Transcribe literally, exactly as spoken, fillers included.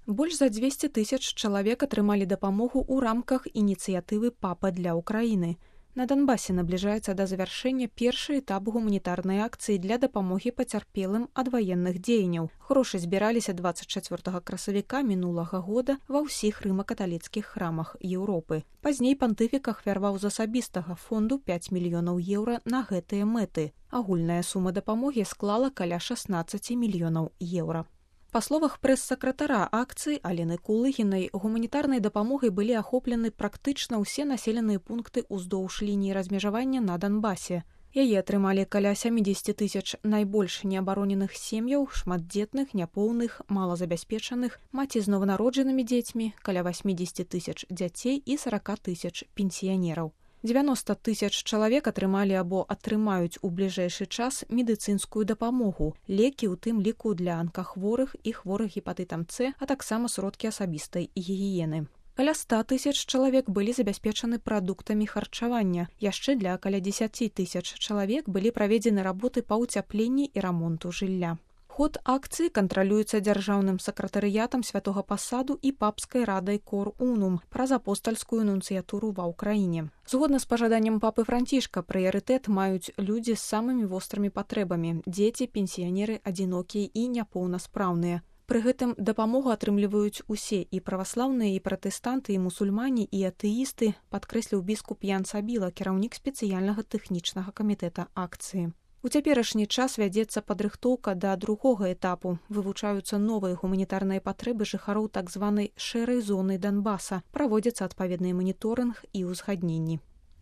Больш за дзвесце тысяч чалавек атрымалі дапамогу ў рамках ініцыятывы «Папа для Украіны». На Донбасе набліжаецца да завяршэння першы этап гуманітарнай акцыі для дапамогі пацярпелым ад ваенных дзеянняў. Грошы збіраліся дваццаць чацвёртага красавіка мінулага года ва ўсіх рыма-каталіцкіх храмах Еўропы. Пазней пантыфік ахвярваў з асабістага фонду пяць мільёнаў еўра на гэтыя мэты. Агульная сума дапамогі склала каля шаснаццаць мільёнаў еўра. Па словах прэс-сакратара акцыі Алены Кулыгінай, гуманітарнай дапамогай былі ахоплены практычна ўсе населеныя пункты ўздоўж лініі размежавання на Донбасе. Яе атрымалі каля сямдзесят тысяч найбольш неабароненых сем'яў, шматдзетных, няпоўных, малазабяспечаных, маці з нованароджанымі дзецьмі, каля восемьдесят тысяч дзяцей і сорок тысяч пенсіянераў. дзевяноста тысяч чалавек атрымалі або атрымаюць у бліжэйшы час медыцынскую дапамогу, лекі ў тым ліку для анкахворых і хворых гепатытам С, а таксама сродкі асабістай гігіены. Каля ста тысяч чалавек былі забяспечаны прадуктамі харчавання. Яшчэ для каля дзесяць тысяч чалавек былі праведзены работы па ўцяпленні і рамонту жылля. Ход акцыі кантралюецца дзяржаўным сакратарыятам святога пасаду і папскай радай Кор Унум праз апостальскую нунцыятуру ва ўкраіне. Згодна з пажаданнем папы Францішка, прыярытэт маюць людзі з самымі вострымі патрэбамі – дзеці, пенсіянеры, адзінокія і няпоўнаспраўныя. Пры гэтым дапамогу атрымліваюць усе і праваслаўныя, і пратэстанты, і мусульмане, і атэісты, падкрэсліў біскуп Ян Сабіла, кіраўнік спецыяльнага тэхнічнага камітэта акцыі. У цяперашні час вядзецца падрыхтоўка да другога этапу. Вывучаюцца новыя гуманітарныя патрэбы жыхароў так званай шэрай зоны Донбаса. Праводзіцца адпаведны маніторынг і ўзгадненні.